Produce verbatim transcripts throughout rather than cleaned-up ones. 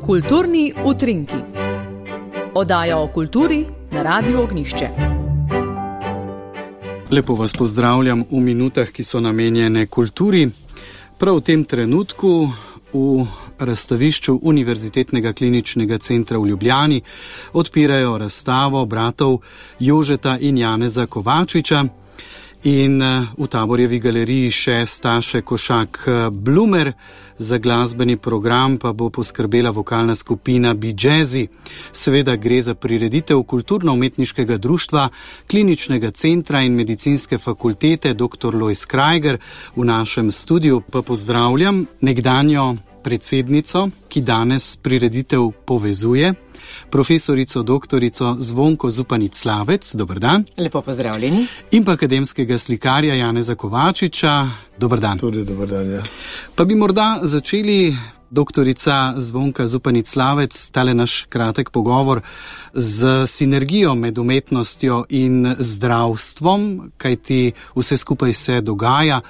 Kulturni utrinki. Oddaja o kulturi na Radiu Ognjišče. Lepo vas pozdravljam v minutah, ki so namenjene kulturi. Prav v tem trenutku v razstavišču Univerzitetnega kliničnega centra v Ljubljani odpirajo razstavo bratov Jožeta in Janeza Kovačiča in v Taborjevi galeriji še Staše Košak Blumer. Za glasbeni program pa bo poskrbela vokalna skupina Be Jazzy. Seveda gre za prireditev Kulturno-umetniškega društva, Kliničnega centra in medicinske fakultete doktor Lojz Krajger. V našem studiu pa pozdravljam nekdanjo predsednico, ki danes prireditev povezuje, profesorico doktorico Zvonko Zupanič-Slavec. Dober dan. Lepo pozdravljeni. In pa akademskega slikarja Janeza Kovačiča. Dober dan. Tudi dober dan, ja. Pa bi morda začeli, doktorica Zvonka Zupanič-Slavec, tale naš kratek pogovor z sinergijo med umetnostjo in zdravstvom, kajti vse skupaj se dogaja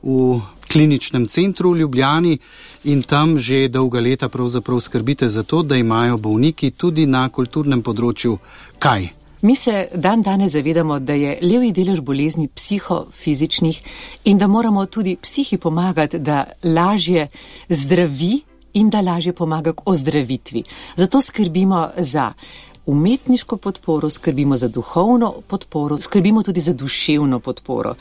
v Kliničnem centru v Ljubljani in tam že dolga leta pravzaprav skrbite za to, da imajo bolniki tudi na kulturnem področju kaj? Mi se dan danes zavedamo, da je levji delež bolezni psihofizičnih in da moramo tudi psihi pomagati, da lažje zdravi in da lažje pomaga k ozdravitvi. Zato skrbimo za umetniško podporo, skrbimo za duhovno podporo, skrbimo tudi za duševno podporo.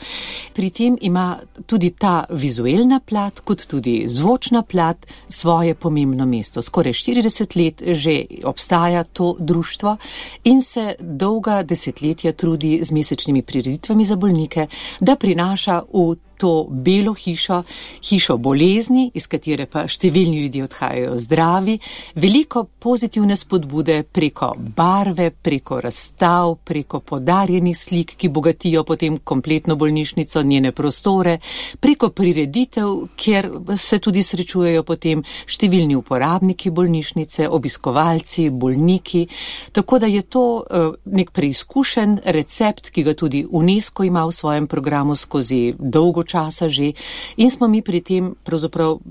Pri tem ima tudi ta vizualna plat, kot tudi zvočna plat, svoje pomembno mesto. Skoraj štirideset let že obstaja to društvo in se dolga desetletja trudi z mesečnimi prireditvami za bolnike, da prinaša v to belo hišo, hišo bolezni, iz katere pa številni ljudje odhajajo zdravi, veliko pozitivne spodbude preko barve, preko razstav, preko podarjenih slik, ki bogatijo potem kompletno bolnišnico, njene prostore, preko prireditev, kjer se tudi srečujejo potem številni uporabniki bolnišnice, obiskovalci, bolniki, tako da je to uh, nek preizkušen recept, ki ga tudi UNESCO ima v svojem programu skozi dolgo časa že in smo mi pri tem pravzaprav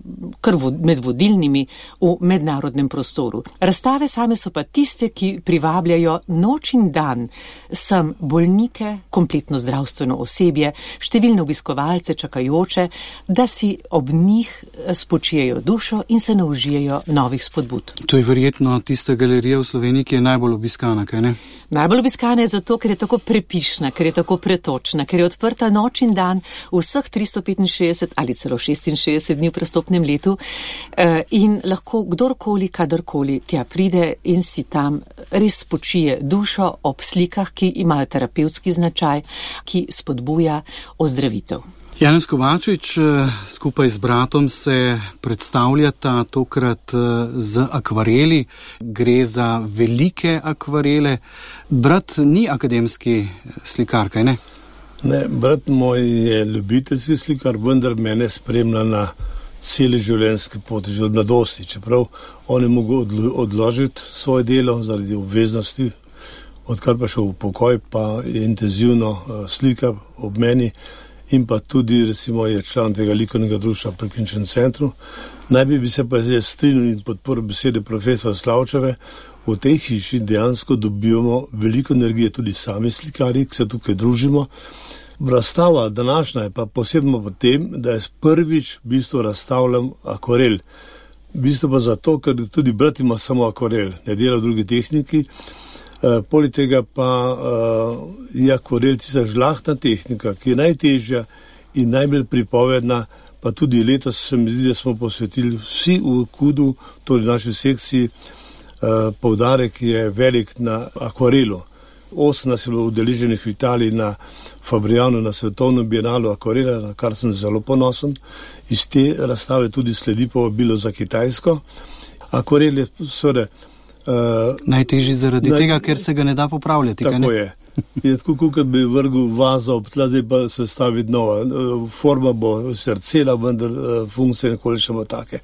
kar med vodilnimi v mednarodnem prostoru. Razstave same so pa tiste, ki privabljajo noč in dan sem bolnike, kompletno zdravstveno osebje, številne obiskovalce, čakajoče, da si ob njih spočijejo dušo in se naužijejo novih spodbud. To je verjetno tista galerija v Sloveniji, ki je najbolj obiskana, kaj ne? Najbolj obiskana je zato, ker je tako prepišna, ker je tako pretočna, ker je odprta noč in dan vseh tristo petinšestdeset ali celo šestinšestdeset dni v prestopnem letu in lahko kdorkoli, kadarkoli tja pride in si tam res spočije dušo ob slikah, ki imajo terapevtski značaj, ki spodbuja ozdravitev. Janez Kovačič skupaj z bratom se predstavljata tokrat z akvareli. Gre za velike akvarele. Brat ni akademski slikar, kaj ne? Ne, brat moj je ljubiteljski slikar, vendar mene spremlja na celi življenjski poti, že od mladosti. Čeprav on je mogel odložiti svoje delo zaradi obveznosti, odkar pa šel v pokoj, pa je intenzivno slika ob meni in pa tudi recimo je član tega likovnega društva pri Kliničnem centru. Najbi bi se pa je strinil in podporil besede profesora Slavčeve. V tej hiši dejansko dobivamo veliko energije tudi sami slikari, ki se tukaj družimo. Razstava današnja je pa posebno v tem, da je prvič v bistvu razstavljam akvarel. V bistvu pa zato, ker tudi brat ima samo akvarel, ne dela v drugi tehniki. Uh, poleg tega pa uh, je akvarel tista žlahtna tehnika, ki je najtežja in najbolj pripovedna, pa tudi letos se mi zdi, da smo posvetili vsi v Kudu, torej naši sekciji, uh, poudarek je velik na akvarelu. Osem nas je bilo udeleženih v Italiji na Fabriano, na svetovnem bienalu akvarela, na kar sem zelo ponosen. Iz te razstave tudi sledi povabilo za Kitajsko. Akvarel je seveda Uh, najtežji zaradi naj... tega, ker se ga ne da popravljati. Tako kaj ne? je. Je tako, kot bi vrgel vazo ob tla, zdaj pa se stavi nova. Forma bo srcela, vendar funkcije nekoli še bo take.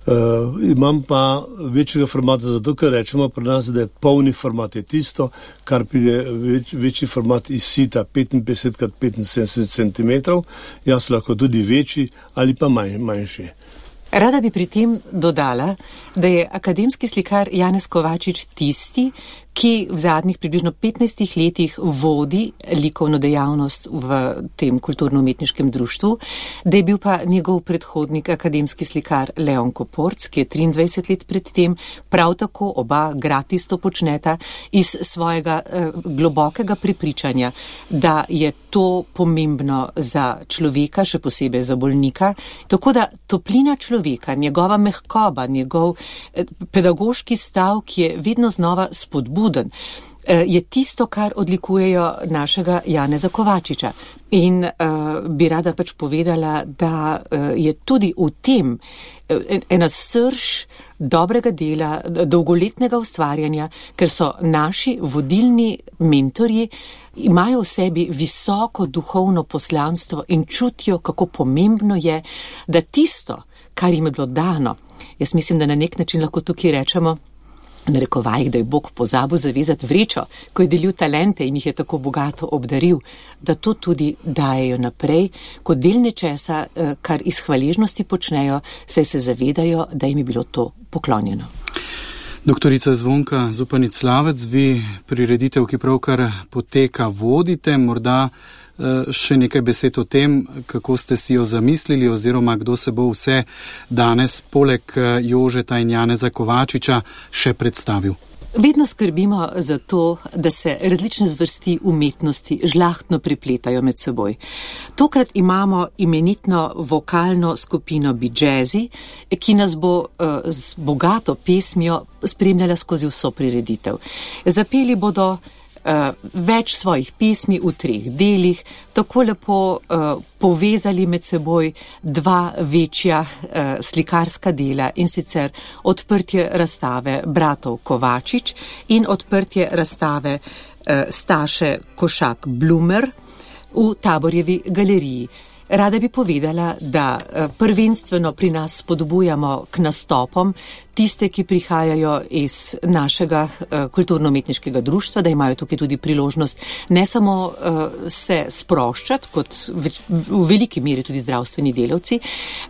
Uh, imam pa večjega formata, zato ker rečemo pri nas, da je polni format je tisto, kar pride več, večji format iz sita petinpetdeset krat petinsedemdeset centimetrov, jaz lahko tudi večji ali pa manj, manjši. Rada bi pri tem dodala, da je akademski slikar Janez Kovačič tisti, ki v zadnjih približno petnajstih letih vodi likovno dejavnost v tem kulturno-umetniškem društvu, da je bil pa njegov predhodnik akademski slikar Leon Koporc, ki je triindvajset let pred tem, prav tako oba gratis to počneta iz svojega eh, globokega prepričanja, da je to pomembno za človeka, še posebej za bolnika, tako da toplina človeka, njegova mehkoba, njegov eh, pedagoški stav, ki je vedno znova spodbuden, je tisto, kar odlikujejo našega Janeza Kovačiča. In uh, bi rada pač povedala, da uh, je tudi v tem uh, ena srž dobrega dela, dolgoletnega ustvarjanja, ker so naši vodilni mentorji, imajo v sebi visoko duhovno poslanstvo in čutijo, kako pomembno je, da tisto, kar jim je bilo dano, jaz mislim, da na nek način lahko tukaj rečemo, narekovajih, da je Bog pozabil zavezati vrečo, ko je delil talente in jih je tako bogato obdaril, da to tudi dajejo naprej, kot del nečesa, kar iz hvaležnosti počnejo, saj se zavedajo, da jim je bilo to poklonjeno. Doktorica Zvonka Zupanic-Slavec, vi prireditev, ki pravkar poteka, vodite, morda še nekaj besed o tem, kako ste si jo zamislili oziroma kdo se bo vse danes poleg Jožeta in Janeza Kovačiča še predstavil. Vedno skrbimo za to, da se različne zvrsti umetnosti žlahtno prepletajo med seboj. Tokrat imamo imenitno vokalno skupino Bi-Jazzy, ki nas bo uh, z bogato pesmijo spremljala skozi vso prireditev. Zapeli bodo Uh, več svojih pesmi v treh delih, tako lepo uh, povezali med seboj dva večja uh, slikarska dela, in sicer odprtje razstave bratov Kovačič in odprtje razstave uh, Staše Košak Blumer v Taborjevi galeriji. Rada bi povedala, da prvenstveno pri nas spodbujamo k nastopom tiste, ki prihajajo iz našega kulturno-umetniškega društva, da imajo tukaj tudi priložnost ne samo se sproščati, kot v veliki meri tudi zdravstveni delavci,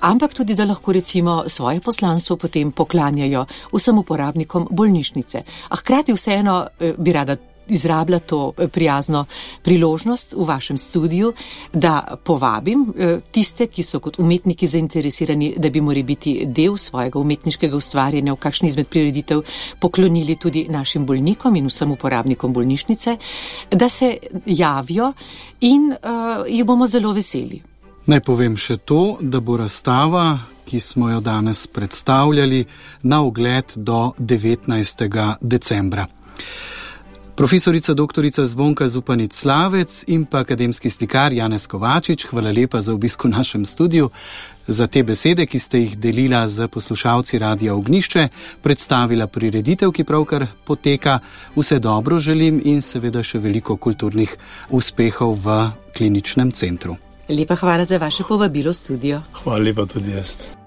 ampak tudi, da lahko recimo svoje poslanstvo potem poklanjajo vsem uporabnikom bolnišnice. A hkrati vseeno bi rada izrablja to prijazno priložnost v vašem studiu, da povabim tiste, ki so kot umetniki zainteresirani, da bi morali biti del svojega umetniškega ustvarjanja v kakšni izmed prireditev poklonili tudi našim bolnikom in vsem uporabnikom bolnišnice, da se javijo in uh, jih bomo zelo veseli. Naj povem še to, da bo razstava, ki smo jo danes predstavljali, na ogled do devetnajstega decembra. Profesorica doktorica Zvonka Zupanic-Slavec in pa akademski slikar Janez Kovačič, hvala lepa za obisk v našem studiu, za te besede, ki ste jih delila z poslušalci Radia Ognjišče, predstavila prireditev, ki pravkar poteka. Vse dobro želim in seveda še veliko kulturnih uspehov v kliničnem centru. Lepa hvala za vaše povabilo v studio. Hvala lepa tudi jaz.